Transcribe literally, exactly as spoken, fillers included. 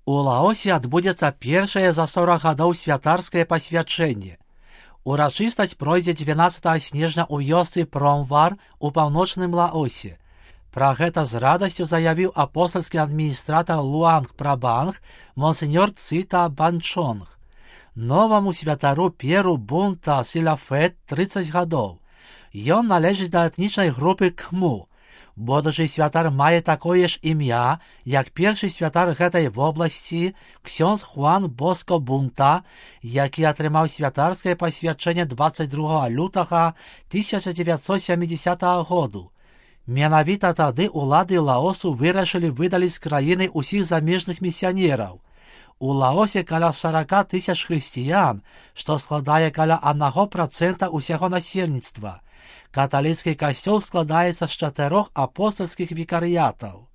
У Лаосе адбудзецца першае за сорак гадоў святарскае пасвячэнне. Урачыстасць пройдзе дванаццатага снежня ў вёсцы Промвар у паўночным Лаосе. Пра гэта з радасцю заявіў апостальскі адміністратар Луанг Прабанг монсеньор Цита Банчонг. Новаму святару П'еру Бунта Сіляфет трыццаць гадоў. Ён належыць да этнічнай групы Кхму. Будучы святар мае такое ж імя, як першы святар гэтай вобласці, ксёндз Хуан Боско Бунта, які атрымаў святарскае пасвячэнне дваццаць другога лютага тысяча дзевяцьсот сямідзясятага году. Менавіта тады ўлады Лаосу вырашылі выдаліць з краіны ўсіх замежных місіянераў. У Лаосе каля сорок тысяч хрысціян, што складае каля аднаго працэнта ўсяго насельніцтва. Каталіцкі касцёл складаецца з чатырох апостальскіх вікарыятаў.